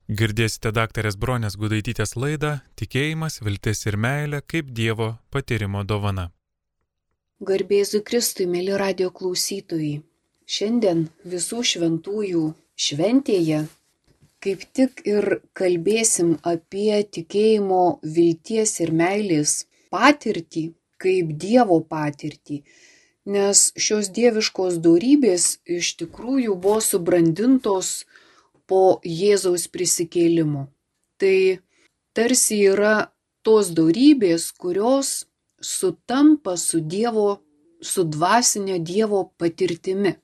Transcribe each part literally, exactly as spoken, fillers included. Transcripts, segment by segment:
Girdėsite daktarės Bronės Gudaitytės laidą Tikėjimas, viltis ir meilė kaip Dievo patyrimo dovana. Garbėzui Kristui, mėly radio klausytojai. Šiandien visų šventųjų šventėje kaip tik ir kalbėsim apie tikėjimo, vilties ir meilės patirtį, kaip Dievo patirtį. Nes šios dieviškos dorybės iš tikrųjų buvo subrandintos po Jėzaus prisikėlimo. Tai tarsi yra tos dorybės, kurios sutampa su Dievo, su dvasinio Dievo patirtimi.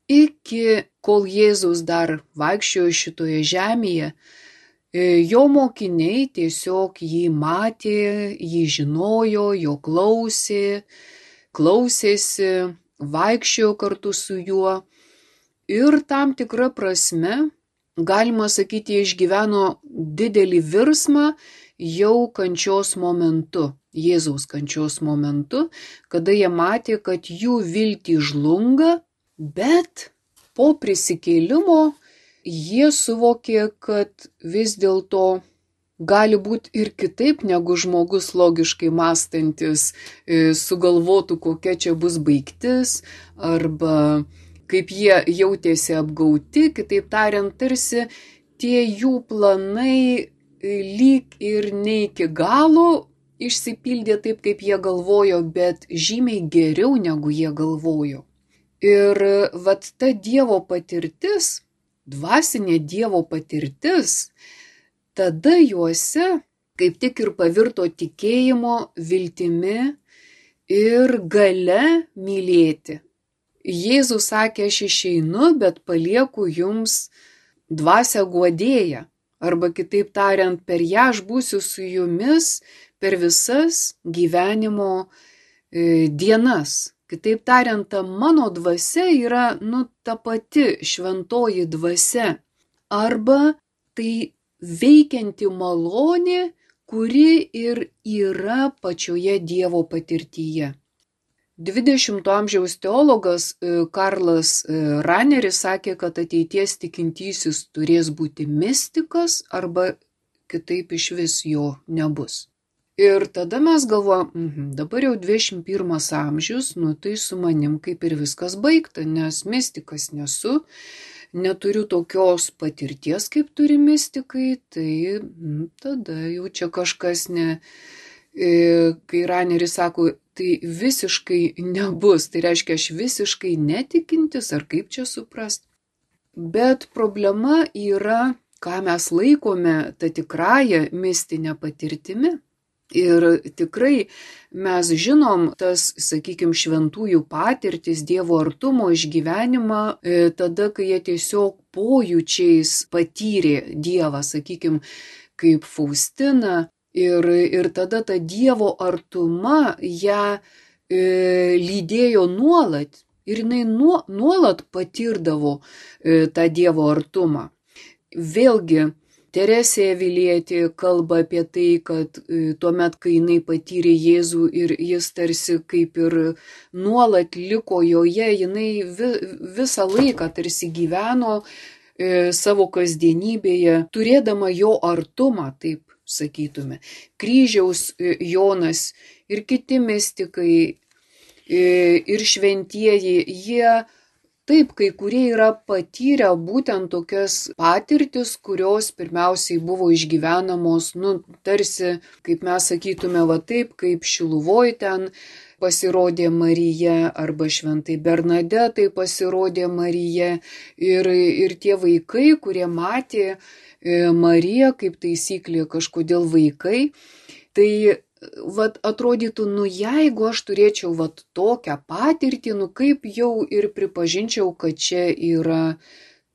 Iki kol Jėzus dar vaikščiojo šitoje žemėje, jo mokiniai tiesiog jį matė, jį žinojo, jo klausė, klausėsi, vaikščiojo kartu su juo. Ir tam tikra prasme, galima sakyti, jie išgyveno didelį virsmą jau kančios momentu, Jėzaus kančios momentu, kada jie matė, kad jų viltį žlunga, bet po prisikėlimo jie suvokė, kad vis dėlto gali būti ir kitaip, negu žmogus logiškai mąstantis sugalvotų, kokia čia bus baigtis, arba kaip jie jautėsi apgauti, kitaip tariant, tarsi tie jų planai lyg ir ne iki galo išsipildė taip, kaip jie galvojo, bet žymiai geriau, negu jie galvojo. Ir vat ta Dievo patirtis, dvasinė Dievo patirtis, tada juose kaip tik ir pavirto tikėjimo, viltimi ir gale mylėti. Jėzus sakė, aš išeinu, bet palieku jums dvasią guodėją. Arba kitaip tariant, per ją aš būsiu su jumis per visas gyvenimo e, dienas. Kitaip tariant, ta mano dvasia yra, nu, ta pati šventoji dvasia. Arba tai veikianti malonė, kuri ir yra pačioje Dievo patirtyje. dvidešimto amžiaus teologas Karlas Raneris sakė, kad ateities tikintysis turės būti mistikas arba kitaip išvis jo nebus. Ir tada mes galvojam, mhm, dabar jau dvidešimt pirmas amžius, nu tai su manim kaip ir viskas baigta, nes mistikas nesu, neturiu tokios patirties, kaip turi mistikai, tai nu, tada jau čia kažkas ne... Kai Raneris sako, tai visiškai nebus, tai reiškia, aš visiškai netikintis, ar kaip čia suprast. Bet problema yra, ką mes laikome tą tikrąją mistinę patirtimi. Ir tikrai mes žinom tas, sakykime, šventųjų patirtis, Dievo artumo išgyvenimą, tada, kai jie tiesiog pojūčiais patyrė Dievą, sakykime, kaip Faustina. Ir, ir tada ta Dievo artuma ją e, lydėjo nuolat ir jinai nuo, nuolat patirdavo e, tą Dievo artumą. Vėlgi, Teresė Avilietė kalba apie tai, kad e, tuomet, kai jinai patyrė Jėzų ir jis tarsi kaip ir nuolat liko joje, jinai vi, visą laiką tarsi gyveno e, savo kasdienybėje, turėdama jo artumą, taip sakytume. Kryžiaus Jonas ir kiti mistikai ir šventieji, jie taip, kai kurie yra patyrę būtent tokias patirtis, kurios pirmiausiai buvo išgyvenamos, nu, tarsi, kaip mes sakytume, va taip, kaip Šiluvoj ten pasirodė Marija, arba šventai Bernadetai pasirodė Marija, ir, ir tie vaikai, kurie matė Marija, kaip taisyklė kažkodėl vaikai, tai vat, atrodytų, nu jeigu aš turėčiau vat, tokią patirtį, nu kaip jau ir pripažinčiau, kad čia yra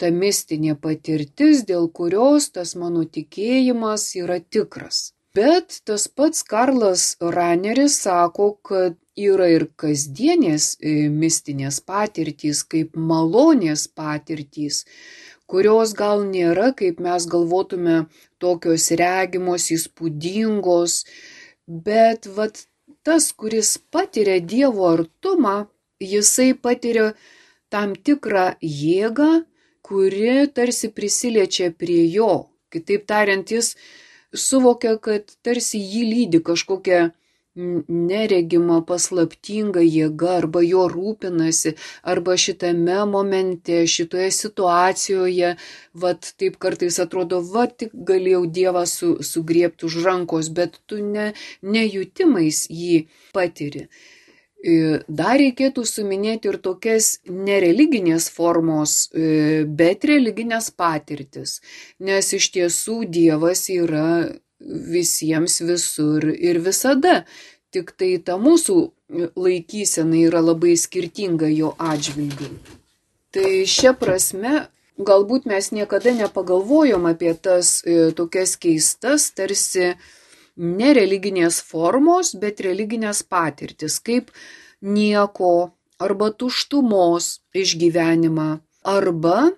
ta mistinė patirtis, dėl kurios tas mano tikėjimas yra tikras. Bet tas pats Karlas Raneris sako, kad yra ir kasdienės mistinės patirtys, kaip malonės patirtys, kurios gal nėra, kaip mes galvotume, tokios regimos, įspūdingos, bet vat, tas, kuris patiria Dievo artumą, jisai patiria tam tikrą jėgą, kuri tarsi prisiliečia prie jo. Kitaip tariant, jis suvokia, kad tarsi jį lydi kažkokia neregima paslaptinga jėga, arba jo rūpinasi, arba šitame momente, šitoje situacijoje, vat taip kartais atrodo, va tik galėjau Dievą su, sugriebti už rankos, bet tu ne, nejutimais jį patiri. Dar reikėtų suminėti ir tokias nereliginės formos, bet religinės patirtis, nes iš tiesų Dievas yra visiems visur ir visada, tik tai ta mūsų laikysena yra labai skirtinga jo atžvilgiu. Tai šia prasme, galbūt mes niekada nepagalvojom apie tas tokias keistas, tarsi nereliginės formos, bet religinės patirtis, kaip nieko arba tuštumos išgyvenimą, arba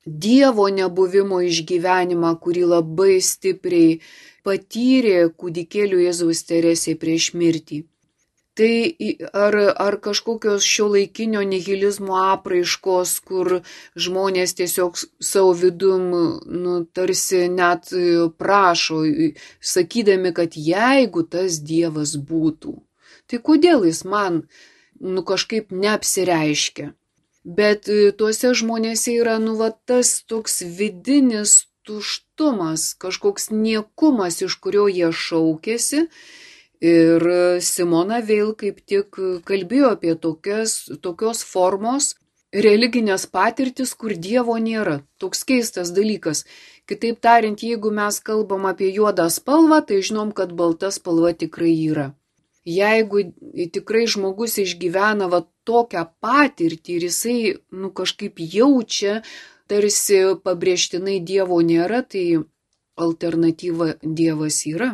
Dievo nebuvimo išgyvenimą, kurį labai stipriai patyrė kūdikėlių Jėzaus Teresė prieš mirtį. Tai ar, ar kažkokios šiuolaikinio nihilizmo apraiškos, kur žmonės tiesiog savo vidum, nu, tarsi net prašo, sakydami, kad jeigu tas Dievas būtų, tai kodėl jis man nu, kažkaip neapsireiškia? Bet tuose žmonėse yra nu, va, tas toks vidinis tuštumas, kažkoks niekumas, iš kurio jie šaukėsi. Ir Simona Veil kaip tik kalbėjo apie tokias, tokios formos religinės patirtis, kur Dievo nėra. Toks keistas dalykas. Kitaip tariant, jeigu mes kalbam apie juodą spalvą, tai žinom, kad balta spalva tikrai yra. Jeigu tikrai žmogus išgyvena va, tokią patirtį ir jisai nu, kažkaip jaučia, tarsi pabrėžtinai Dievo nėra, tai alternatyva Dievas yra.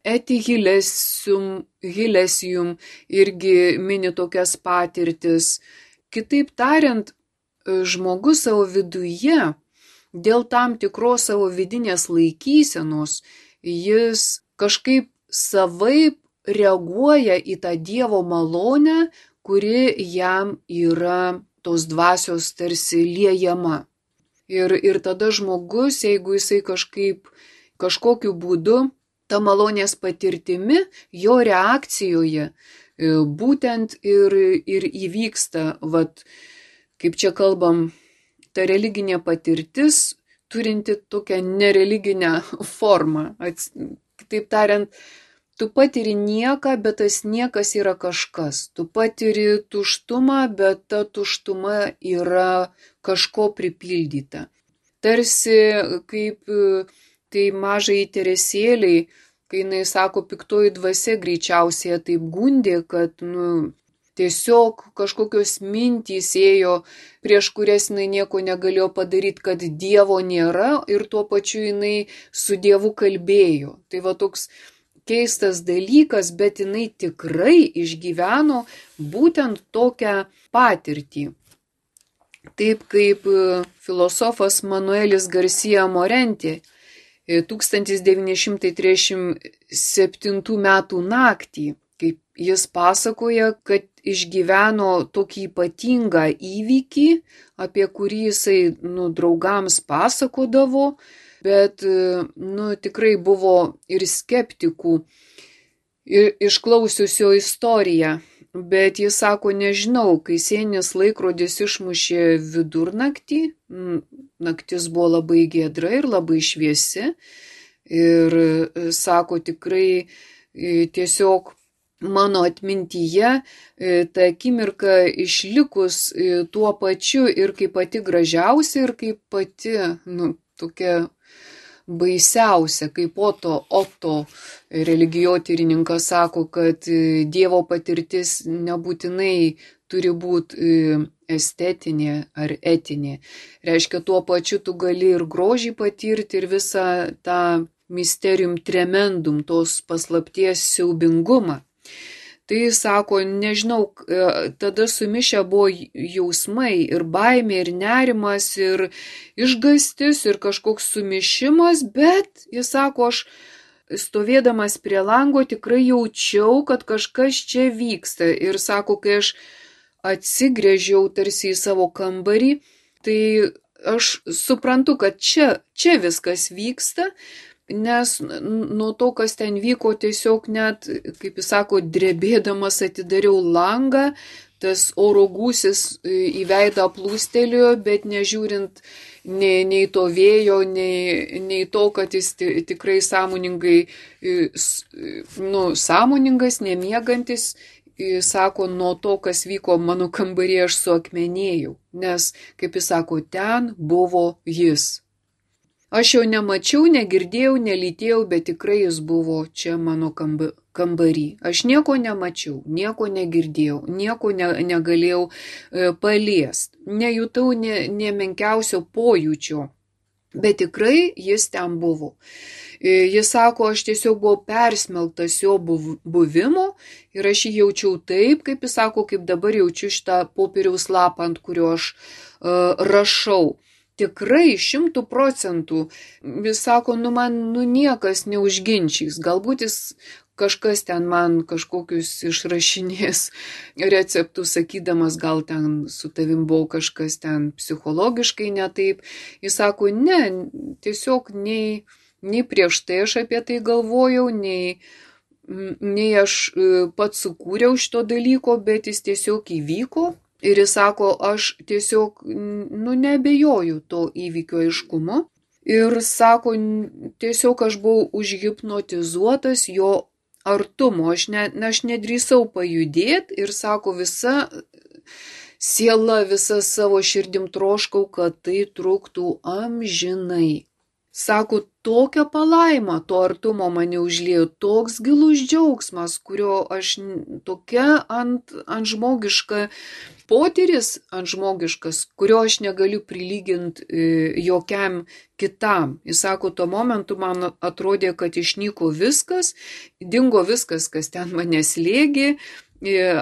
Eti Hilesium, Hilesium irgi mini tokias patirtis. Kitaip tariant, žmogus savo viduje, dėl tam tikros savo vidinės laikysenos, jis kažkaip savaip reaguoja į tą Dievo malonę, kuri jam yra tos dvasios tarsi liejama. Ir, ir tada žmogus, jeigu jisai kažkaip, kažkokiu būdu, ta malonės patirtimi, jo reakcijoje būtent ir, ir įvyksta, vat, kaip čia kalbam, ta religinė patirtis, turinti tokią nereliginę formą. Kitaip tariant, tu patiri nieką, bet tas niekas yra kažkas. Tu patiri tuštumą, bet ta tuštuma yra kažko pripildyta. Tarsi kaip tai mažai Teresėliai, kai jinai sako, piktoji dvasia greičiausiai taip gundė, kad nu, tiesiog kažkokios mintys ėjo, prieš kurias jinai nieko negalėjo padaryti, kad Dievo nėra ir tuo pačiu jinai su Dievu kalbėjo. Tai va toks keistas dalykas, bet jinai tikrai išgyveno būtent tokią patirtį. Taip kaip filosofas Manuelis Garcia Morenti tūkstantis devyni šimtai trisdešimt septintų metų naktį, kaip jis pasakoja, kad išgyveno tokį ypatingą įvykį, apie kurį jisai nu, draugams pasakodavo, bet nu, tikrai buvo ir skeptikų ir išklausiusio istoriją. Bet jis sako, nežinau, kai sieninis laikrodis išmušė vidurnaktį, naktis buvo labai giedra ir labai šviesi. Ir sako, tikrai tiesiog mano atmintyje ta akimirka išlikus tuo pačiu ir kaip pati gražiausia, ir kaip pati nu, tokia baisiausia, kaip Oto, Oto religijotyrininkas sako, kad Dievo patirtis nebūtinai turi būti estetinė ar etinė. Reiškia, tuo pačiu tu gali ir grožį patirti, ir visą tą mysterium tremendum, tos paslapties siaubingumą. Tai sako, nežinau, tada sumišę buvo jausmai ir baimė, ir nerimas, ir išgastis, ir kažkoks sumišimas, bet jis sako, aš stovėdamas prie lango tikrai jaučiau, kad kažkas čia vyksta. Ir sako, kai aš atsigręžiau tarsi į savo kambarį, Tai aš suprantu, kad čia, čia viskas vyksta, nes nuo to, kas ten vyko, tiesiog net, kaip jis sako, drebėdamas atidariau langą, tas oro gūsis į veidą plūstelėjo, bet nežiūrint nei, nei to vėjo, nei, nei to, kad jis tikrai sąmoningai, nu, sąmoningas, nemiegantis, sako, nuo to, kas vyko mano kambaryje, aš suakmenėjau, nes, kaip jis sako, ten buvo jis. Aš jo nemačiau, negirdėjau, nelytėjau, bet tikrai jis buvo čia mano kambarį. Aš nieko nemačiau, nieko negirdėjau, nieko ne, negalėjau e, paliest, nejutau ne, ne menkiausio pojūčio, bet tikrai jis ten buvo. Jis sako, aš tiesiog buvau persmelktas jo buvimo ir aš jį jaučiau taip, kaip jis sako, kaip dabar jaučiu šitą popieriaus lapą, ant kurio aš uh, rašau. Tikrai šimtų procentų. Jis sako, nu man nu niekas neužginčys. Galbūt jis kažkas ten man kažkokius išrašinės receptus, sakydamas, gal ten su tavim buvo kažkas ten psichologiškai ne taip. Jis sako, ne, tiesiog nei... Nei prieš tai aš apie tai galvojau, nei, nei aš pats sukūriau šito dalyko, bet jis tiesiog įvyko. Ir jis sako, aš tiesiog, nu, neabejoju to įvykio aiškumu. Ir sako, tiesiog aš buvau užhipnotizuotas jo artumo. Aš, ne, aš nedrįsau pajudėti ir sako, visa siela, visa savo širdim troškau, kad tai truktų amžinai. Sako, tokia palaima to artumo mane užliejo, toks gilus džiaugsmas, kurio aš tokia ant, ant žmogiška potyris, ant žmogiškas, kurio aš negaliu prilyginti e, jokiam kitam. Jis sako, tuo momentu man atrodė, kad išnyko viskas, dingo viskas, kas ten mane slėgė,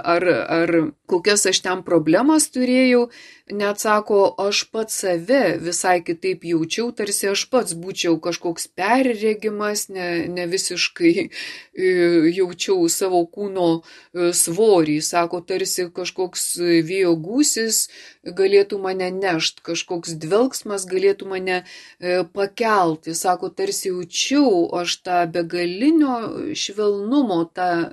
ar, ar kokias aš ten problemas turėjau, net sako, aš pats save visai kitaip jaučiau, tarsi aš pats būčiau kažkoks perregimas, ne, ne visiškai jaučiau savo kūno svorį, sako, tarsi kažkoks vėjo gūsis galėtų mane nešt, kažkoks dvelksmas galėtų mane pakelti, sako, tarsi jaučiau aš tą begalinio švelnumo, tą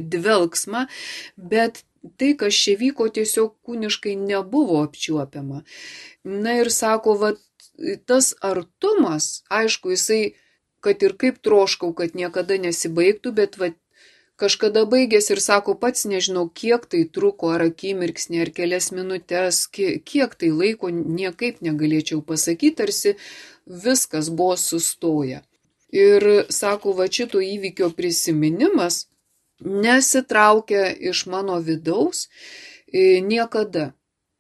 dvelksmą, bet tai, kas čia vyko, tiesiog kūniškai nebuvo apčiuopiama. Na ir sako, va, tas artumas, aišku, jisai, kad ir kaip troškau, kad niekada nesibaigtų, bet va, kažkada baigėsi ir sako, pats nežinau, kiek tai truko, ar akimirksnį, ar kelias minutės, kiek tai laiko, niekaip negalėčiau pasakyti, tarsi viskas buvo sustoję. Ir sako, va, šito įvykio prisiminimas nesitraukia iš mano vidaus niekada.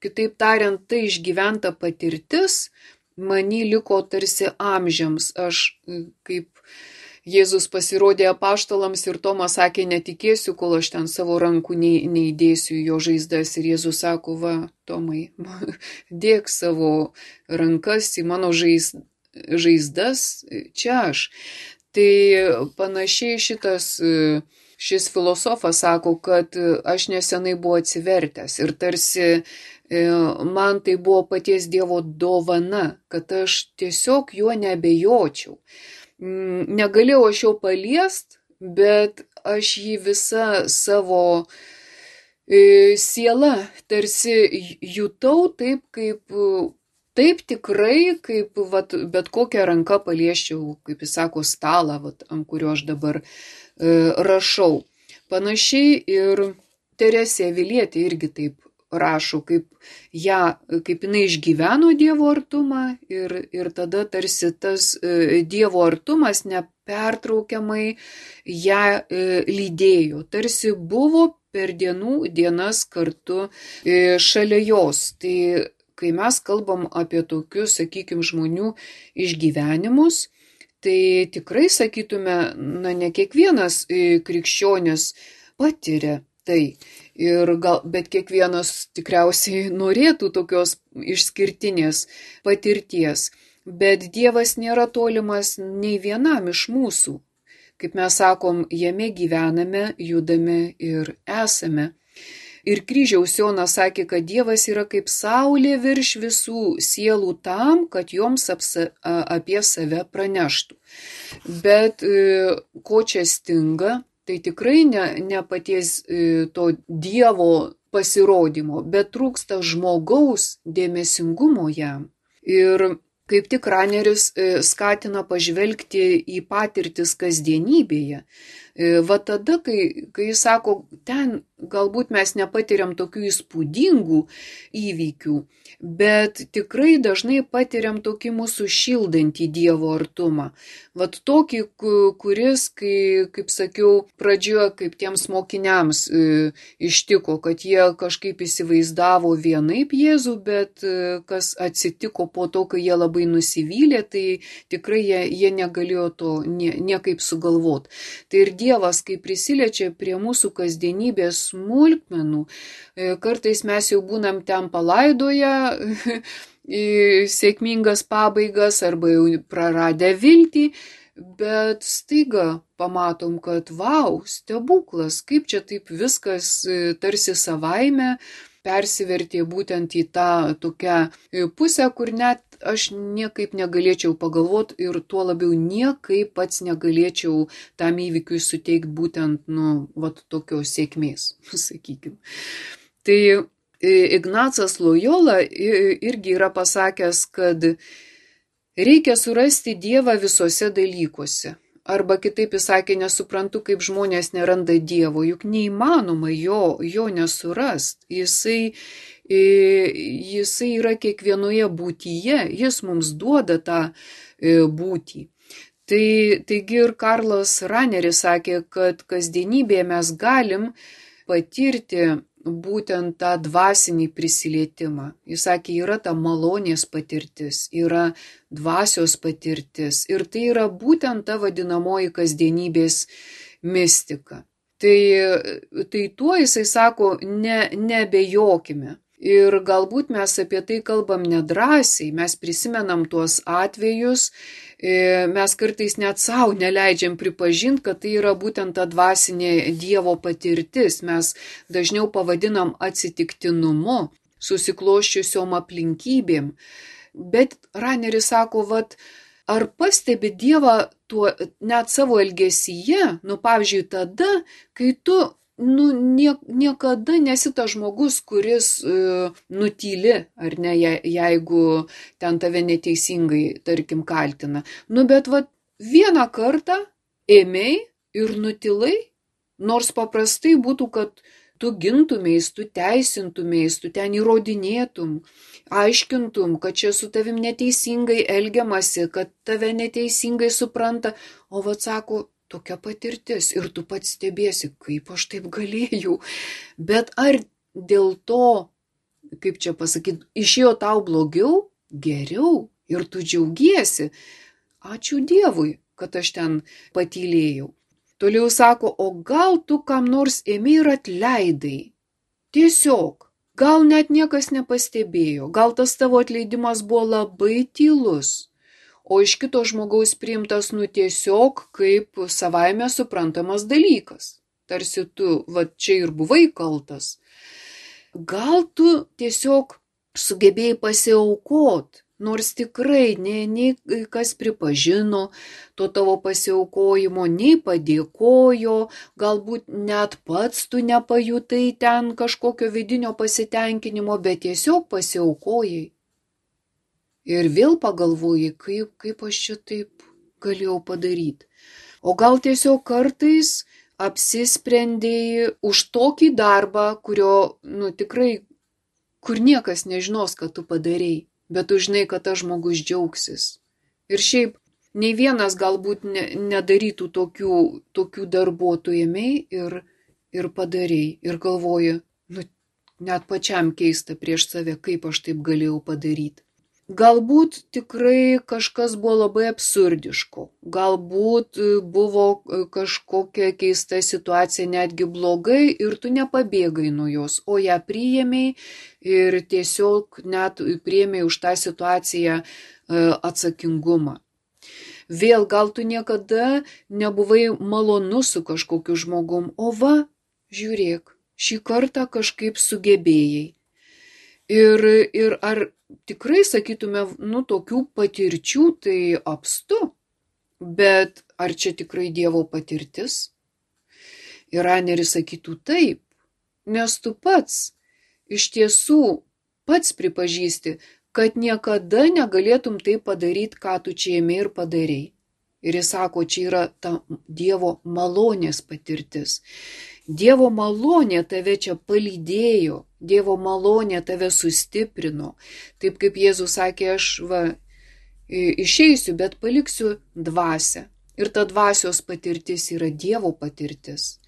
Kitaip tariant, tai išgyventa patirtis many liko tarsi amžiams. Aš, kaip Jėzus pasirodė apaštalams ir Tomas sakė, netikėsiu, kol aš ten savo rankų neįdėsiu į jo žaizdas. Ir Jėzus sako, va, Tomai, dėk savo rankas į mano žaiz, žaizdas, čia aš. Tai panašiai šitas Šis filosofas sako, kad aš nesenai buvau atsivertęs ir tarsi man tai buvo paties Dievo dovana, kad aš tiesiog juo neabejočiau. Negalėjau aš jo paliest, bet aš jį visą savo sielą tarsi jutau taip, kaip, taip tikrai, kaip vat, bet kokią ranką paliesčiau, kaip jis sako, stalą, vat, ant kurio aš dabar rašau. Panašiai ir Teresė Avilietė irgi taip rašo, kaip, ją, kaip jinai išgyveno Dievo artumą ir, ir tada tarsi tas Dievo artumas nepertraukiamai ją lydėjo. Tarsi buvo per dienų dienas kartu šalia jos. Tai kai mes kalbam apie tokius, sakykime, žmonių išgyvenimus, tai tikrai sakytume, na, ne kiekvienas krikščionis patiria tai. Ir gal, bet kiekvienas tikriausiai norėtų tokios išskirtinės patirties. Bet Dievas nėra tolimas nei vienam iš mūsų. Kaip mes sakom, jame gyvename, judame ir esame. Ir kryžiaus Jonas sakė, kad Dievas yra kaip saulė virš visų sielų tam, kad joms apsa, apie save praneštų. Bet ko čia stinga, tai tikrai ne, ne paties to Dievo pasirodymo, bet trūksta žmogaus dėmesingumo jam. Ir kaip tik Raneris skatina pažvelgti į patirtis kasdienybėje. Va tada, kai, kai jis sako, ten galbūt mes nepatiriam tokių įspūdingų įvykių, bet tikrai dažnai patiriam tokį mūsų šildantį Dievo artumą. Vat tokį, kuris, kai, kaip sakiau, pradžioje kaip tiems mokiniams e, ištiko, kad jie kažkaip įsivaizdavo vienaip Jėzų, bet e, kas atsitiko po to, kai jie labai nusivylė, tai tikrai jie, jie negalėjo to nie, niekaip sugalvoti. Tai ir Dievas, kai prisiliečia prie mūsų kasdienybės smulkmenų, kartais mes jau būnam ten palaidoję sėkmingas pabaigas arba jau praradę viltį, bet staiga pamatom, kad vau, stebuklas, kaip čia taip viskas tarsi savaime persivertė būtent į tą tokią pusę, kur net aš niekaip negalėčiau pagalvoti ir tuo labiau niekaip pats negalėčiau tam įvykiui suteikti būtent, nu, vat tokios sėkmės, sakykime. Tai Ignacas Lojola irgi yra pasakęs, kad reikia surasti Dievą visose dalykuose. Arba kitaip jis sakė, nesuprantu, kaip žmonės neranda Dievo, juk neįmanoma jo, jo nesurast. Jisai, jisai yra kiekvienoje būtyje, jis mums duoda tą būtį. Tai, taigi ir Karlas Raneris sakė, kad kasdienybėje mes galim patirti būtent tą dvasinį prisilietimą. Jis sakė, yra ta malonės patirtis, yra dvasios patirtis ir tai yra būtent ta vadinamoji kasdienybės mistika. Tai, tai tuo jisai sako, ne, nebejokime. Ir galbūt mes apie tai kalbam nedrąsiai, mes prisimenam tuos atvejus, mes kartais net savo neleidžiam pripažinti, kad tai yra būtent ta dvasinė Dievo patirtis. Mes dažniau pavadinam atsitiktinumu, susikloščiusiom aplinkybėm. Bet Raneris sako, vat, ar pastebi Dievą tuo, net savo elgesyje, nu pavyzdžiui, tada, kai tu nu, nie, niekada nesi tas žmogus, kuris e, nutyli, ar ne, je, jeigu ten tave neteisingai, tarkim, kaltina. Nu, bet vat vieną kartą ėmei ir nutilai, nors paprastai būtų, kad tu gintumės, tu teisintumės, tu ten įrodinėtum, aiškintum, kad čia su tavim neteisingai elgiamasi, kad tave neteisingai supranta, o vat sako, tokia patirtis ir tu pats stebėsi, kaip aš taip galėjau. Bet ar dėl to, kaip čia pasakyti, išėjo tau blogiau, geriau ir tu džiaugiesi? Ačiū Dievui, kad aš ten patylėjau. Toliau sako, o gal tu kam nors ėmei ir atleidai? Tiesiog, gal net niekas nepastebėjo, gal tas tavo atleidimas buvo labai tylus. O iš kito žmogaus priimtas nu tiesiog kaip savaime suprantamas dalykas. Tarsi tu, va čia ir buvai kaltas. Gal tu tiesiog sugebėjai pasiaukot, nors tikrai nei, nei kas pripažino to tavo pasiaukojimo, nei padėkojo, galbūt net pats tu nepajutai ten kažkokio vidinio pasitenkinimo, bet tiesiog pasiaukojai. Ir vėl pagalvojai, kaip, kaip aš čia taip galėjau padaryti. O gal tiesiog kartais apsisprendėjai už tokį darbą, kurio, nu tikrai, kur niekas nežinos, kad tu padarei, bet tu žinai, kad tas žmogus džiaugsis. Ir šiaip, nei vienas galbūt ne, nedarytų tokių, tokių darbų, tu ėmei ir, ir padarei. Ir galvoji, nu, net pačiam keista prieš save, kaip aš taip galėjau padaryti. Galbūt tikrai kažkas buvo labai absurdiško, galbūt buvo kažkokia keista situacija netgi blogai ir tu nepabėgai nuo jos, o ją priėmei ir tiesiog net priėmei už tą situaciją atsakingumą. Vėl gal tu niekada nebuvai malonus su kažkokiu žmogum, o va, žiūrėk, šį kartą kažkaip sugebėjai. Ir, ir ar tikrai, sakytume, nu, tokių patirčių tai apstu, bet ar čia tikrai Dievo patirtis? Ir Raneris sakytų taip, nes tu pats iš tiesų pats pripažįsti, kad niekada negalėtum tai padaryti, ką tu čia ėmė ir padarei. Ir jis sako, čia yra ta Dievo malonės patirtis. Dievo malonė tave čia palydėjo, Dievo malonė tave sustiprino. Taip kaip Jėzus sakė, aš va, išeisiu, bet paliksiu dvasią. Ir ta dvasios patirtis yra Dievo patirtis.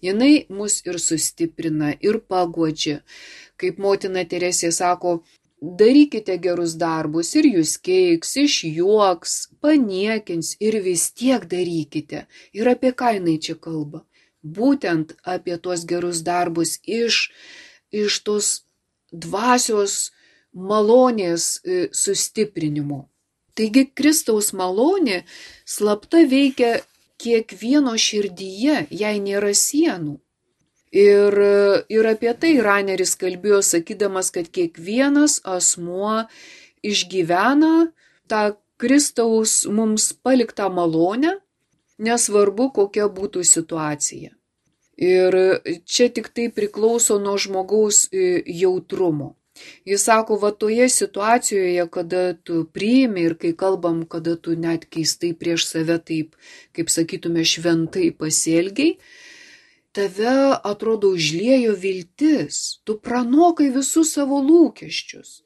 Jinai mus ir sustiprina, ir paguodžia. Kaip motina Teresė sako, darykite gerus darbus ir jūs keiks, išjuoks, paniekins ir vis tiek darykite. Ir apie ką jinai čia kalba? Būtent apie tuos gerus darbus iš, iš tos dvasios malonės sustiprinimo. Taigi Kristaus malonė slapta veikia kiekvieno širdyje, jei nėra sienų. Ir, ir apie tai Raneris kalbėjo, sakydamas, kad kiekvienas asmuo išgyvena tą Kristaus mums paliktą malonę, nesvarbu, kokia būtų situacija. Ir čia tik tai priklauso nuo žmogaus jautrumo. Jis sako, va toje situacijoje, kada tu priimi ir kai kalbam, kada tu net keistai prieš save taip, kaip sakytume, šventai pasielgiai, tave atrodo užliejo viltis, tu pranokai visus savo lūkesčius,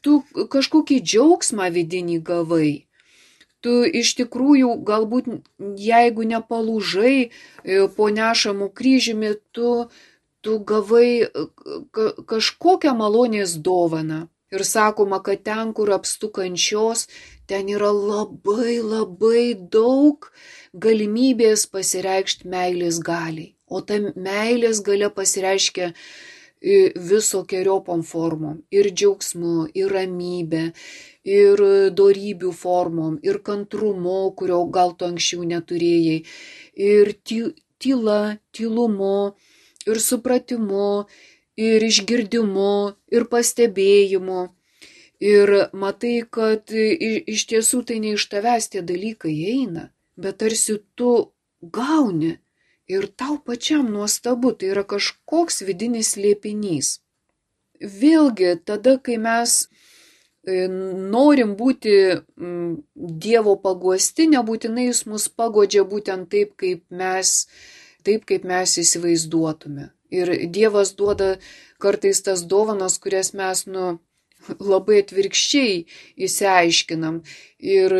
tu kažkokį džiaugsmą vidinį gavai. Tu iš tikrųjų galbūt, jeigu nepalūžai po nešamų kryžiumi, tu, tu gavai kažkokią malonės dovaną. Ir sakoma, kad ten, kur apstu kančios, ten yra labai labai daug galimybės pasireikšti meilės galiai. O ta meilės galia pasireiškia visokiojopom formom. Ir džiaugsmu, ir ramybė, ir dorybių formom, ir kantrumu, kurio gal tu anksčiau neturėjai, ir tyla, tylumu, ir supratimu, ir išgirdimu, ir pastebėjimu. Ir matai, kad iš tiesų tai ne iš tavęs tie dalykai eina, bet tarsi tu gauni ir tau pačiam nuostabu, tai yra kažkoks vidinis slėpinys. Vėlgi, tada, kai mes norim būti Dievo paguosti, nebūtinai jis mus paguodžia būtent taip, kaip mes, taip, kaip mes įsivaizduotume. Ir Dievas duoda kartais tas dovanas, kurias mes nu, labai atvirkščiai įsiaiškinam. Ir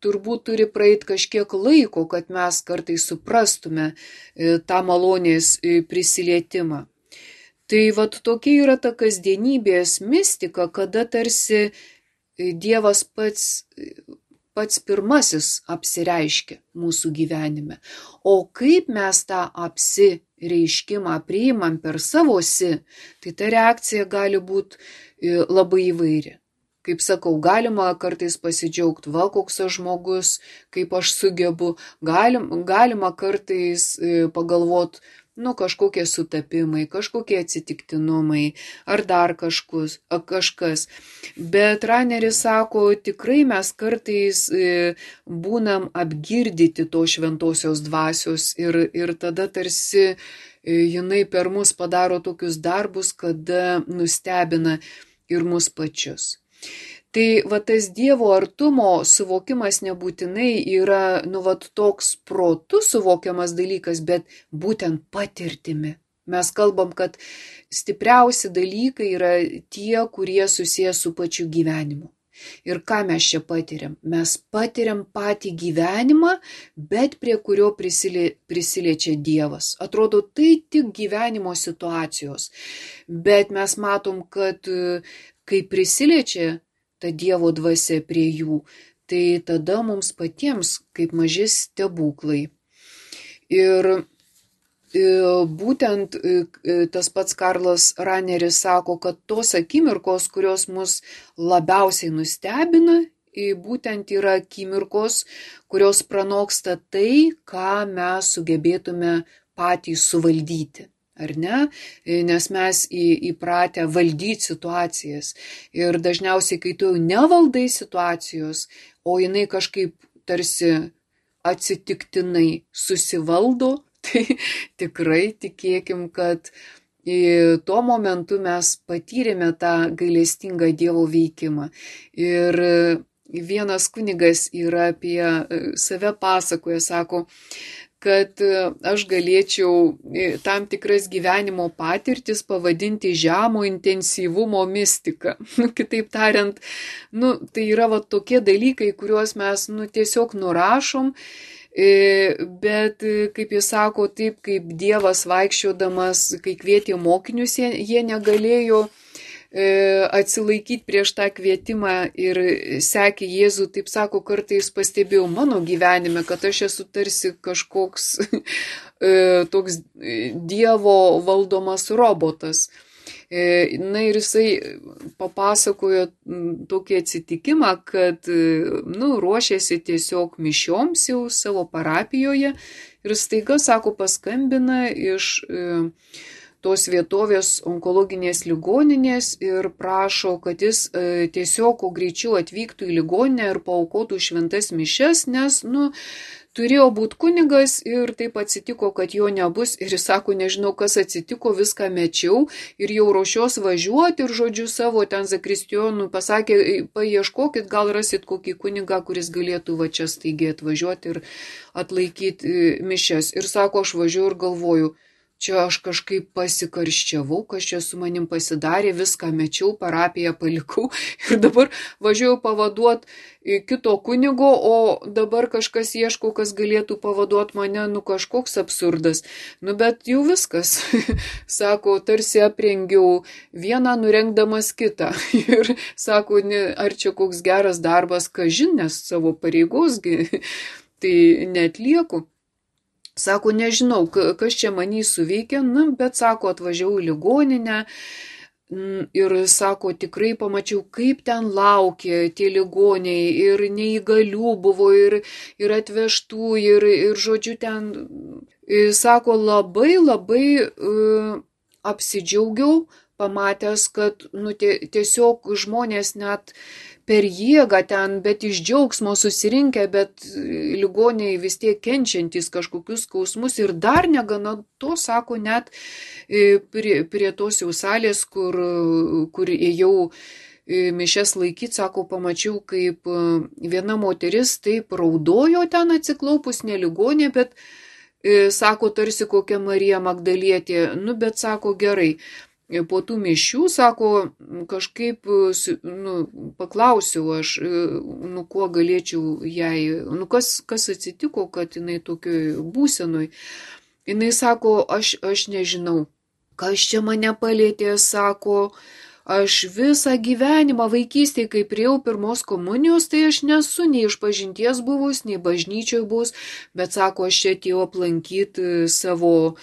turbūt turi praeiti kažkiek laiko, kad mes kartais suprastume tą malonės prisilietimą. Tai vat tokia yra ta kasdienybės mistika, kada tarsi Dievas pats, pats pirmasis apsireiškia mūsų gyvenime. O kaip mes tą apsireiškimą priimam per savosi, tai ta reakcija gali būti labai įvairi. Kaip sakau, galima kartais pasidžiaugti, va koks aš žmogus, kaip aš sugebu, galim, galima kartais pagalvoti, nu kažkokie sutapimai, kažkokie atsitiktinumai ar dar kažkus, kažkas. Bet Raneris sako, tikrai mes kartais būnam apgirdyti to šventosios dvasios ir, ir tada tarsi jinai per mus padaro tokius darbus, kada nustebina ir mus pačius. Tai va tas Dievo artumo suvokimas nebūtinai yra nu va toks protu suvokiamas dalykas, bet būtent patirtimi. Mes kalbam, kad stipriausi dalykai yra tie, kurie susiję su pačiu gyvenimu. Ir ką mes čia patiriam? Mes patiriam patį gyvenimą, bet prie kurio prisilie, prisiliečia Dievas. Atrodo, tai tik gyvenimo situacijos. Bet mes matom, kad kai prisiliečia ta Dievo dvasia prie jų, tai tada mums patiems kaip maži stebuklai. Ir būtent tas pats Karlas Raneris sako, kad tos akimirkos, kurios mus labiausiai nustebina, būtent yra akimirkos, kurios pranoksta tai, ką mes sugebėtume patys suvaldyti. ar ne, nes mes į, įpratę valdyti situacijas. Ir dažniausiai, kai tu jau nevaldai situacijos, o jinai kažkaip tarsi atsitiktinai susivaldo, tai tikrai tikėkim, kad tuo momentu mes patyrėme tą gailestingą Dievo veikimą. Ir vienas kunigas yra apie save pasakoja, sako, kad aš galėčiau tam tikras gyvenimo patirtis pavadinti žemo intensyvumo mistika. Nu, kitaip tariant, nu, tai yra va, tokie dalykai, kuriuos mes nu, tiesiog nurašom, bet, kaip jis sako, taip kaip Dievas vaikščiodamas, kai kvietė mokinius, jie, jie negalėjo atsilaikyti prieš tą kvietimą ir sekė Jėzų, taip sako, kartais pastebėjau mano gyvenime, kad aš esu tarsi kažkoks toks Dievo valdomas robotas. Na ir jisai papasakojo tokį atsitikimą, kad nu, ruošėsi tiesiog mišioms jau savo parapijoje ir staiga, sako, paskambina iš tos vietovės onkologinės ligoninės ir prašo, kad jis e, tiesiog kuo greičiau atvyktų į ligoninę ir paaukotų šventas mišias, nes, nu, turėjo būti kunigas ir taip atsitiko, kad jo nebus ir jis sako, nežinau, kas atsitiko, viską mečiau ir jau ruošios važiuoti ir žodžiu savo ten zakristijonų pasakė, paieškokit, gal rasit kokį kunigą, kuris galėtų va čia staigiai atvažiuoti ir atlaikyti mišias. Ir sako, aš važiuoju ir galvoju, čia aš kažkaip pasikarščiavau, kas čia su manim pasidarė, viską mečiau, parapiją palikau ir dabar važiuoju pavaduoti kito kunigo, o dabar kažkas ieško, kas galėtų pavaduoti mane, nu kažkoks absurdas. Nu bet jau viskas, sako, tarsi aprengiau vieną nurengdamas kitą ir sako, ar čia koks geras darbas, kažin, nes savo pareigosgi tai neatlieku. Sako, nežinau, kas čia manį suveikė, nu, bet sako, atvažiavau į ligoninę ir sako, tikrai pamačiau, kaip ten laukė tie ligoniai ir neįgalių buvo ir, ir atvežtų ir, ir žodžiu ten, sako, labai labai uh, apsidžiaugiau, pamatęs, kad nu, tiesiog žmonės net per jėgą ten, bet iš džiaugsmo susirinkę, bet ligoniai vis tiek kenčiantys kažkokius skausmus ir dar negana to, sako, net prie, prie tos jau salės, kur, kur ėjau mišias laikyti, sako, pamačiau, kaip viena moteris taip raudojo ten atsiklaupus, ne ligonė, bet sako, tarsi kokia Marija Magdalietė, nu, bet sako, gerai. Po tų mišių, sako, kažkaip nu, paklausiau aš, nu, kuo galėčiau jai, nu, kas, kas atsitiko, kad jinai tokioj būsenoj. Jinai sako, aš, aš nežinau, kas čia mane palėtė, sako, aš visą gyvenimą vaikystėje, kai priejau pirmos komunijos, tai aš nesu nei išpažinties buvus, nei bažnyčioje buvus, bet sako, aš čia atėjau aplankyti savo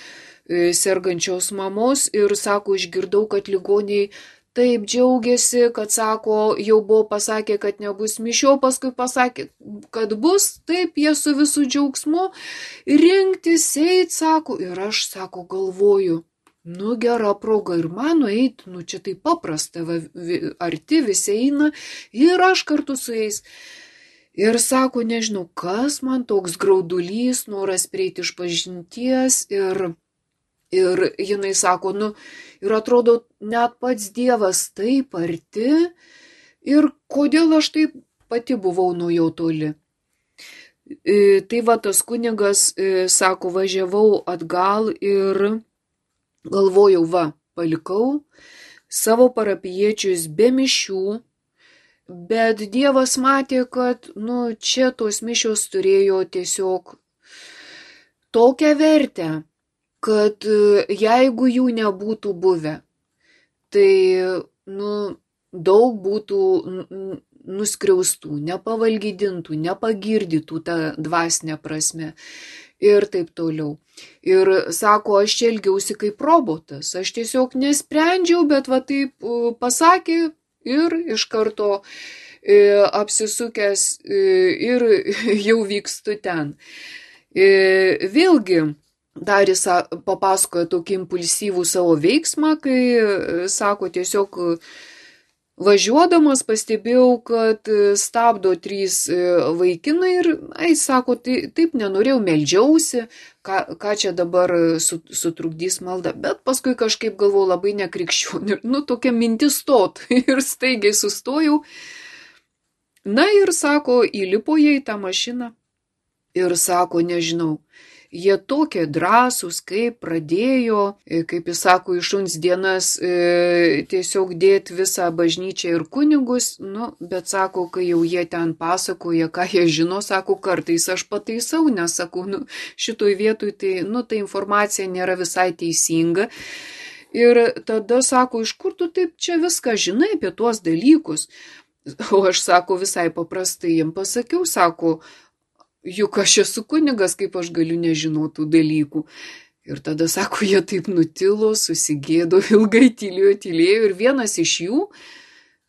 sergančios mamos ir, sako, išgirdau, kad ligoniai taip džiaugiasi, kad, sako, jau buvo pasakę, kad nebus mišio, paskui pasakė, kad bus, taip jie su visų džiaugsmu rinktis eit, sako, ir aš, sako, galvoju, nu gera proga ir mano eit, nu čia taip paprasta, va, arti visi eina ir aš kartu su jais. Ir sako, nežinau, kas man toks graudulys, noras prieiti iš pažinties ir Ir jinai sako, nu, ir atrodo, net pats Dievas taip arti, ir kodėl aš taip pati buvau nuo jo toli. E, tai va, tas kunigas, e, sako, važiavau atgal ir galvojau, va, palikau savo parapijiečius be mišių, bet Dievas matė, kad, nu, čia tos mišios turėjo tiesiog tokią vertę, kad jeigu jų nebūtų buvę, tai nu, daug būtų nuskriaustų, nepavalgydintų, nepagirdytų tą dvasinę prasme ir taip toliau. Ir sako, aš čia elgiausi kaip robotas, aš tiesiog nesprendžiau, bet va taip pasakė ir iš karto apsisukęs ir jau vykstu ten. Vėlgi, dar jis papasakojo tokį impulsyvų savo veiksmą, kai, sako, tiesiog važiuodamas pastebėjau, kad stabdo trys vaikinai ir, ai, sako, tai, taip nenorėjau, meldžiausi, ką, ką čia dabar sutrukdys malda, bet paskui kažkaip galvojau labai nekrikščionių, nu, tokia mintis stot ir staigiai sustojau. Na ir, sako, įlipo jie į tą mašiną ir, sako, nežinau, jie tokie drąsūs, kaip pradėjo, kaip jis sako, į šuns dienas e, tiesiog dėti visą bažnyčią ir kunigus, nu, bet sako, kai jau jie ten pasakoja, ką jie žino, sako, kartais aš pataisau, nes sakau, nu, šitoj vietoj tai, nu, ta informacija nėra visai teisinga. Ir tada sako, iš kur tu taip čia viską žinai apie tuos dalykus? O aš, sako, visai paprastai jiem pasakiau, sako, juk aš esu kunigas, kaip aš galiu nežinoti tų dalykų. Ir tada, sako, jie taip nutilo, susigėdo, ilgai tylėjo, tylėjo. Ir vienas iš jų,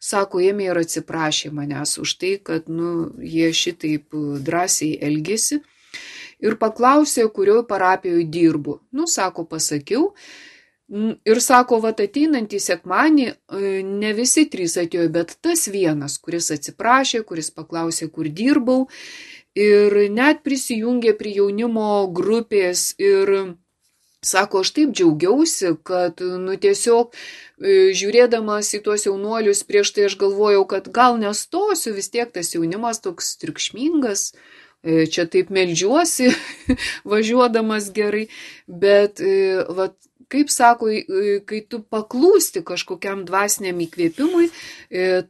sako, ėmė ir atsiprašė manęs už tai, kad, nu, jie šitaip drąsiai elgėsi. Ir paklausė, kurioje parapijoje dirbu. Nu, sako, pasakiau. Ir sako, vat ateinantį sekmanį ne visi trys atėjo, bet tas vienas, kuris atsiprašė, kuris paklausė, kur dirbau. Ir net prisijungė prie jaunimo grupės ir sako, aš taip džiaugiausi, kad, nu, tiesiog žiūrėdamas į tuos jaunuolius prieš tai aš galvojau, kad gal nestosiu, vis tiek tas jaunimas toks triukšmingas, čia taip meldžiuosi, važiuodamas gerai, bet, vat, kaip sako, kai tu paklūsti kažkokiam dvasiniam įkvėpimui,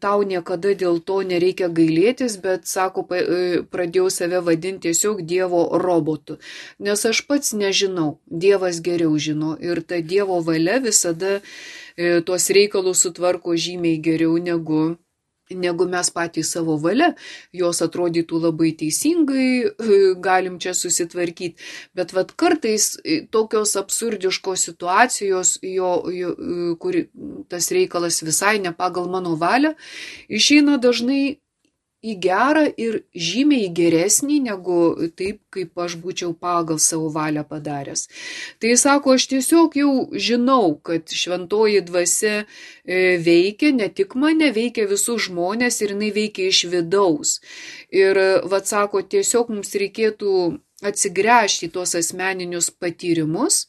tau niekada dėl to nereikia gailėtis, bet, sako, pradėjau save vadinti tiesiog Dievo robotu. Nes aš pats nežinau, Dievas geriau žino ir ta Dievo valia visada tuos reikalus sutvarko žymiai geriau negu negu mes patys savo valia, jos atrodytų labai teisingai, galim čia susitvarkyti, bet vat kartais tokios absurdiškos situacijos, jo, jo, kur tas reikalas visai ne pagal mano valią, išeina dažnai į gerą ir žymiai geresnį, negu taip, kaip aš būčiau pagal savo valią padaręs. Tai sako, aš tiesiog jau žinau, kad šventoji dvasia veikia, ne tik mane, veikia visus žmonės ir jinai veikia iš vidaus. Ir, vat sako, tiesiog mums reikėtų atsigręžti į tuos asmeninius patyrimus,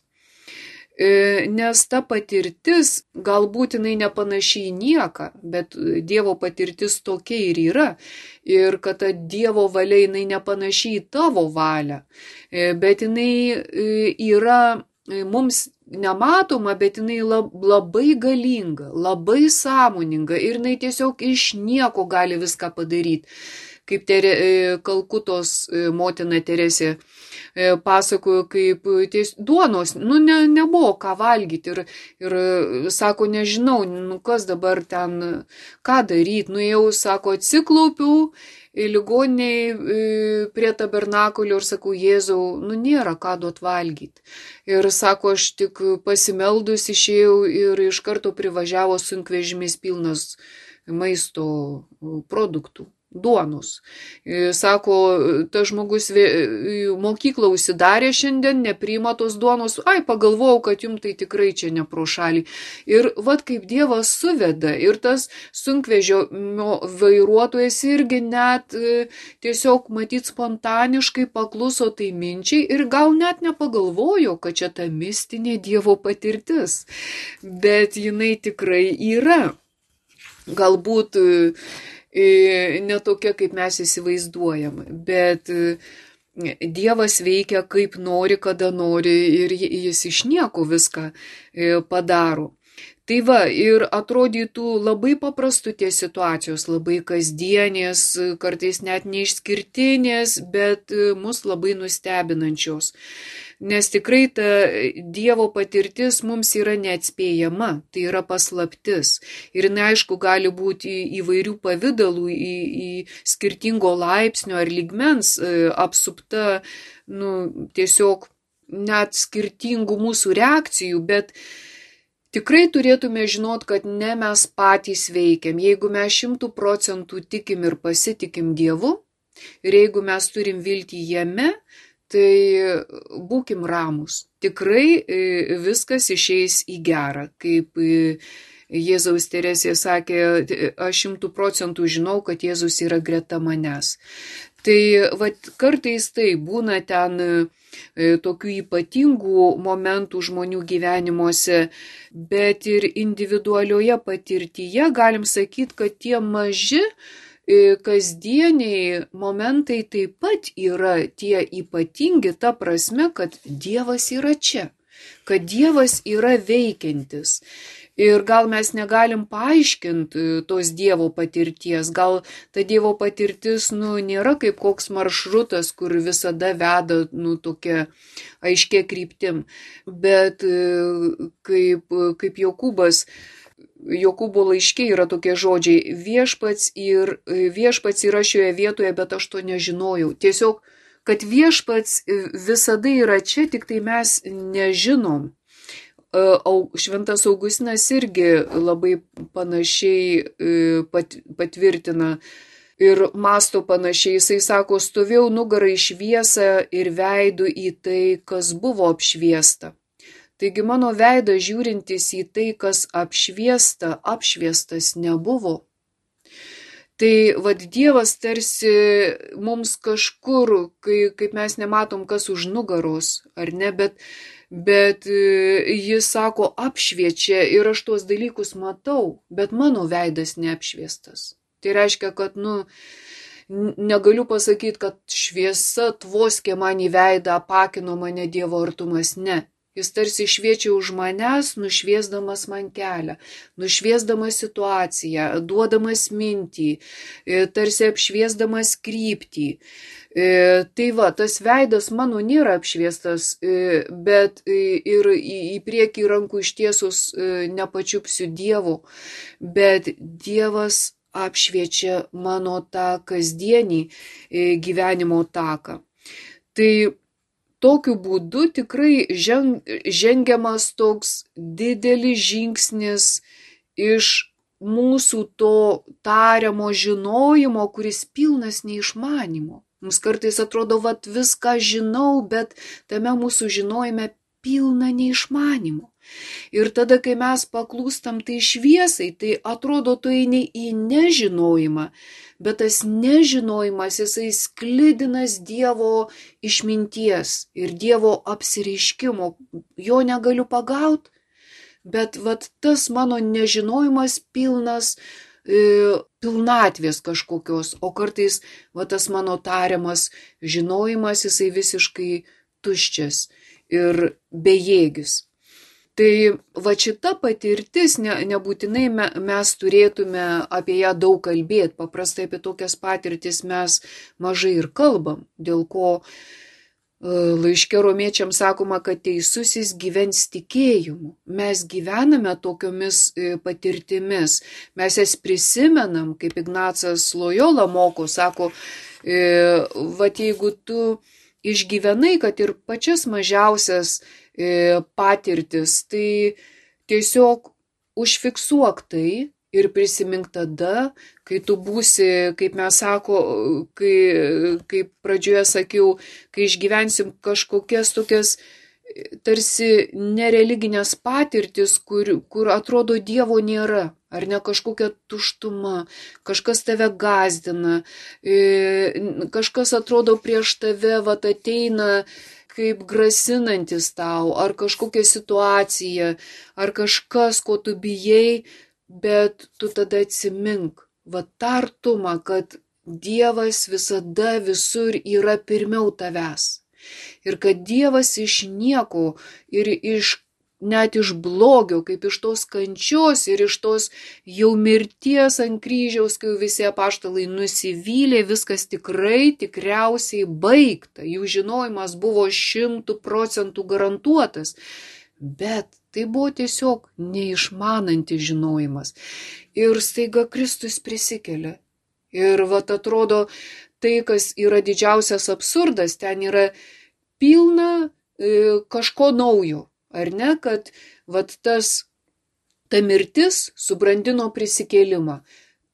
nes ta patirtis galbūt jinai nepanaši į nieką, bet Dievo patirtis tokia ir yra. Ir kad ta Dievo valia jinai nepanaši į tavo valią, bet jinai yra mums nematoma, bet jinai labai galinga, labai sąmoninga ir jinai tiesiog iš nieko gali viską padaryti. Kaip tere, Kalkutos motina Teresė pasakojo, kaip ties, duonos, nu ne, nebuvo ką valgyti ir, ir sako, nežinau, nu kas dabar ten, ką daryti, nu jau, sako, atsiklaupiau ligoniai prie tabernakulio ir sakau, Jėzau, nu nėra ką duot valgyti. Ir sako, aš tik pasimeldus išėjau ir iš karto privažiavo sunkvežimis pilnas maisto produktų. Duonos. Sako, tas žmogus mokyklą užsidarė šiandien, nepriima tos duonos, ai, pagalvojau, kad jums tai tikrai čia ne pro šalį. Ir vat kaip Dievas suveda, ir tas sunkvežimio vairuotojas irgi net tiesiog matyt spontaniškai pakluso tai minčiai ir gal net nepagalvojo, kad čia ta mistinė Dievo patirtis. Bet jinai tikrai yra. Galbūt ne tokia, kaip mes įsivaizduojam, bet Dievas veikia kaip nori, kada nori ir jis iš nieko viską padaro. Tai va, ir atrodytų labai paprastų tie situacijos, labai kasdienės, kartais net neišskirtinės, bet mus labai nustebinančios. Nes tikrai ta Dievo patirtis mums yra neatspėjama, tai yra paslaptis. Ir jinai, aišku, gali būti įvairių pavydalų, į, į skirtingo laipsnio ar lygmens apsupta, nu, tiesiog net skirtingų mūsų reakcijų, bet tikrai turėtume žinot, kad ne mes patys veikiam. Jeigu mes šimtų procentų tikim ir pasitikim Dievu, ir jeigu mes turim viltį jame, tai būkim ramūs. Tikrai viskas išeis į gerą, kaip Jėzaus Teresė sakė, aš šimtų procentų žinau, kad Jėzus yra greta manęs. Tai vat, kartais tai būna ten tokių ypatingų momentų žmonių gyvenimuose, bet ir individualioje patirtyje galim sakyti, kad tie maži kasdieniai momentai taip pat yra tie ypatingi, ta prasme, kad Dievas yra čia, kad Dievas yra veikiantis. Ir gal mes negalim paaiškinti tos Dievo patirties, gal ta Dievo patirtis nu, nėra kaip koks maršrutas, kur visada veda nu, tokia aiškia kryptim, bet kaip, kaip Jokūbas, Jokūbo laiške yra tokie žodžiai, viešpats, ir, viešpats yra šioje vietoje, bet aš to nežinojau. Tiesiog, kad viešpats visada yra čia, tik tai mes nežinom. Šventas Augustinas irgi labai panašiai patvirtina ir mąsto panašiai. Jisai sako, stovėjau nugarą į šviesą ir veidu į tai, kas buvo apšviesta. Taigi mano veidas žiūrintis į tai, kas apšviesta, apšviestas nebuvo. Tai vad Dievas tarsi mums kažkur, kai, kaip mes nematom, kas už nugaros, ar ne, bet Bet jis sako, apšviečia ir aš tuos dalykus matau, bet mano veidas neapšviestas. Tai reiškia, kad, nu, negaliu pasakyti, kad šviesa tvoskė man į veidą, apakino mane Dievo artumas, ne. Jis tarsi šviečia už manęs, nušviesdamas man kelią, nušviesdamas situaciją, duodamas mintį, tarsi apšviesdamas kryptį. Tai va, tas veidas mano nėra apšviestas, bet ir į priekį rankų ištiesus nepačiupsiu Dievo, bet Dievas apšviečia mano tą kasdienį gyvenimo taką. Tai tokiu būdu tikrai žengiamas toks didelis žingsnis iš mūsų to tariamo žinojimo, kuris pilnas neišmanimo. Mums kartais atrodo, vat viską žinau, bet tame mūsų žinojime pilna neišmanimo. Ir tada, kai mes paklūstam tai šviesai, tai atrodo, tu eini į nežinojimą, bet tas nežinojimas, jisai sklidinas Dievo išminties ir Dievo apsireiškimo. Jo negaliu pagauti, bet vat tas mano nežinojimas pilnas e, pilnatvės kažkokios, o kartais vat tas mano tariamas žinojimas, jisai visiškai tuščias ir bejėgis. Tai va šita patirtis, ne, nebūtinai me, mes turėtume apie ją daug kalbėti, paprastai apie tokias patirtis mes mažai ir kalbam, dėl ko e, laiške romiečiams sakoma, kad teisusis gyvens tikėjimu. Mes gyvename tokiomis e, patirtimis, mes jas prisimenam, kaip Ignacas Lojola moko, sako, e, va jeigu tu išgyvenai, kad ir pačias mažiausias patirtis, tai tiesiog užfiksuok tai ir prisimink tada, kai tu būsi, kaip mes sako, kai, kaip pradžioje sakiau, kai išgyvensim kažkokias tokias tarsi nereliginės patirtis, kur, kur atrodo Dievo nėra, ar ne kažkokia tuštuma, kažkas tave gazdina, kažkas atrodo prieš tave, vat ateina kaip grasinantis tau, ar kažkokia situacija, ar kažkas, ko tu bijai, bet tu tada atsimink, va tą artumą, kad Dievas visada visur yra pirmiau tavęs. Ir kad Dievas iš nieko ir iš, net iš blogio, kaip iš tos kančios ir iš tos jau mirties ant kryžiaus, kai visi apaštalai nusivylė, viskas tikrai tikriausiai baigta. Jų žinojimas buvo šimtų procentų garantuotas, bet tai buvo tiesiog neišmanantis žinojimas. Ir staiga Kristus prisikelia. Ir vat atrodo, tai, kas yra didžiausias absurdas, ten yra pilna e, kažko naujo. Ar ne, kad vat tas, ta mirtis subrandino prisikėlimą.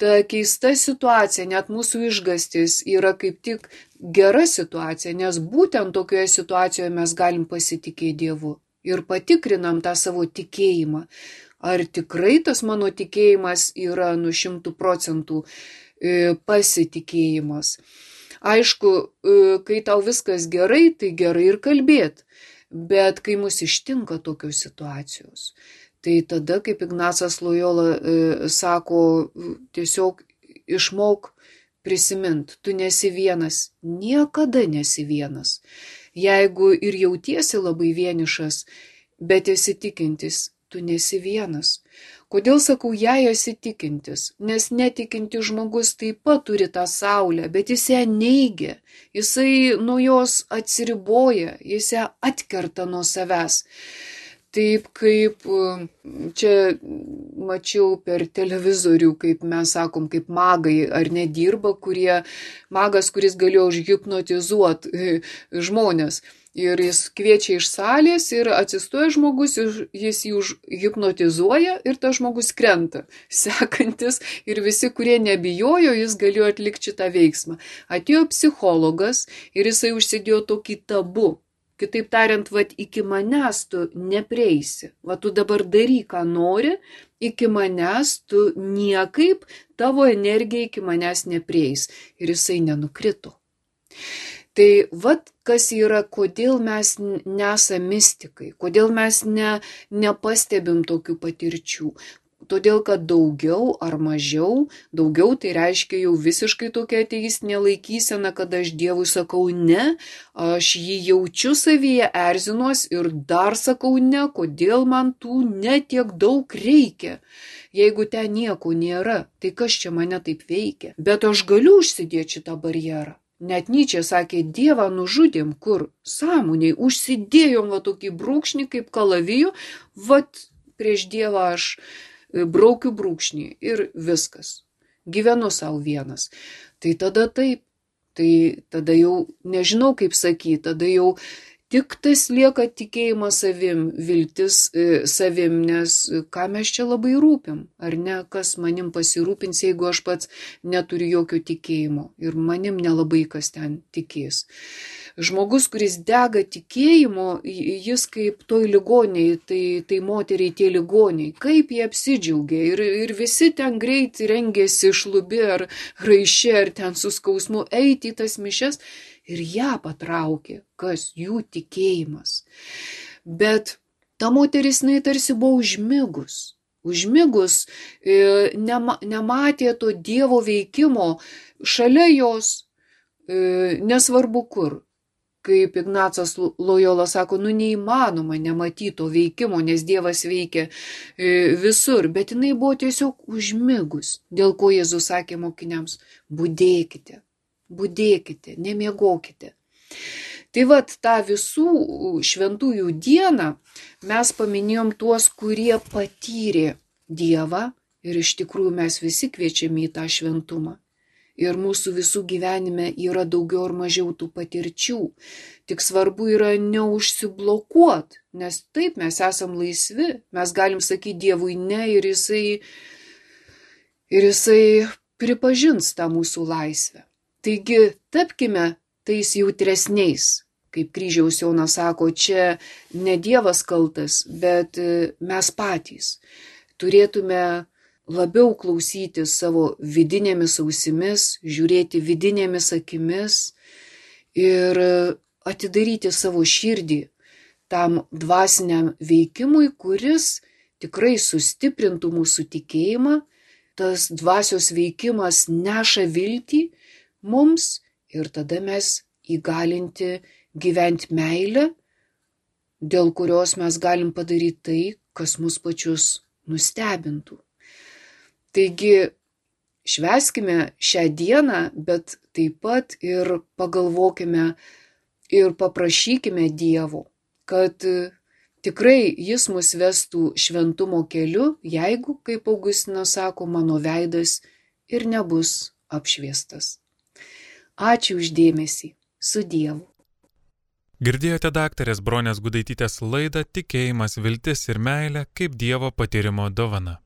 ta keista situacija, net mūsų išgastis yra kaip tik gera situacija, nes būtent tokioje situacijoje mes galim pasitikėti Dievu ir patikrinam tą savo tikėjimą. Ar tikrai tas mano tikėjimas yra nu šimtų procentų pasitikėjimas. Aišku, kai tau viskas gerai, tai gerai ir kalbėt, bet kai mus ištinka tokios situacijos, tai tada, kaip Ignacas Lojola e, sako, tiesiog išmok prisimint, tu nesi vienas, niekada nesi vienas. Jeigu ir jautiesi labai vienišas, bet esi tikintis, tu nesi vienas. Kodėl sakau, jei esi tikintis? Nes netikintis žmogus taip pat turi tą saulę, bet jis ją neigia, jisai nuo jos atsiriboja, jis ją atkerta nuo savęs. Taip kaip čia mačiau per televizorių, kaip mes sakom, kaip magai ar nedirba, kurie, magas, kuris galėjo užhipnotizuoti žmonės. Ir jis kviečia iš salės ir atsistoja žmogus, jis jį užhipnotizuoja ir tas žmogus krenta. Sekantis ir visi, kurie nebijojo, jis galėjo atlikti šitą veiksmą. Atėjo psichologas ir jisai užsidėjo tokį tabu. Kitaip tariant, vat, iki manęs tu neprieisi. Va, tu dabar daryk, ką nori, iki manęs tu niekaip, tavo energija iki manęs neprieis. Ir jisai nenukrito. Tai vat, kas yra, kodėl mes nesame mistikai, kodėl mes ne, nepastebim tokių patirčių. Todėl, kad daugiau ar mažiau, daugiau tai reiškia jau visiškai tokia ateistinė laikysena, kad aš Dievui sakau ne, aš jį jaučiu savyje, erzinuos ir dar sakau ne, kodėl man tų ne tiek daug reikia. Jeigu ten nieko nėra, tai kas čia mane taip veikia? Bet aš galiu užsidėti šitą barjerą. Net Nyčė sakė, Dievą nužudėm, kur sąmoniai, užsidėjom va tokį brūkšnį kaip kalavijų, vat prieš Dievą aš braukiu brūkšnį ir viskas. Gyvenu savo vienas. Tai tada taip, tai tada jau nežinau kaip sakyti, tada jau tik tas lieka tikėjimas savim, viltis e, savim, nes ką mes čia labai rūpim, ar ne, kas manim pasirūpins, jeigu aš pats neturiu jokio tikėjimo ir manim nelabai kas ten tikės. Žmogus, kuris dega tikėjimu, jis kaip toj ligoniai, tai, tai moteriai tie ligoniai, kaip jie apsidžiaugia ir, ir visi ten greit rengėsi šlubi ar raišė ar ten su skausmu eiti į tas mišes ir ją patraukė, kas jų tikėjimas. Bet ta moteris, jinai tarsi buvo užmigus. Užmigus e, nema, nematė to Dievo veikimo šalia jos, e, nesvarbu kur. Kaip Ignacas Lojola sako, nu neįmanoma nematyti to veikimo, nes Dievas veikia visur, bet jinai buvo tiesiog užmigus, dėl ko Jėzus sakė mokiniams, budėkite, budėkite, nemiegokite. Tai vat tą visų šventųjų dieną mes paminėjom tuos, kurie patyrė Dievą ir iš tikrųjų mes visi kviečiami į tą šventumą. Ir mūsų visų gyvenime yra daugiau ar mažiau tų patirčių. Tik svarbu yra neužsiblokuot, nes taip mes esam laisvi, mes galim sakyti Dievui ne ir jisai, ir jisai pripažins tą mūsų laisvę. Taigi tapkime tais jautresniais, kaip Kryžiaus Jonas sako, čia ne Dievas kaltas, bet mes patys turėtume labiau klausyti savo vidinėmis ausimis, žiūrėti vidinėmis akimis ir atidaryti savo širdį tam dvasiniam veikimui, kuris tikrai sustiprintų mūsų tikėjimą. Tas dvasios veikimas neša viltį mums ir tada mes įgalinti gyventi meilę, dėl kurios mes galim padaryti tai, kas mus pačius nustebintų. Taigi švęskime šią dieną, bet taip pat ir pagalvokime ir paprašykime Dievo, kad tikrai jis mus vestų šventumo keliu, jeigu, kaip Augustinas sako, mano veidas ir nebus apšviestas. Ačiū už dėmesį. Su Dievu. Girdėjote daktarės Bronės Gudaitytės laidą Tikėjimas, viltis ir meilė kaip Dievo patyrimo dovana.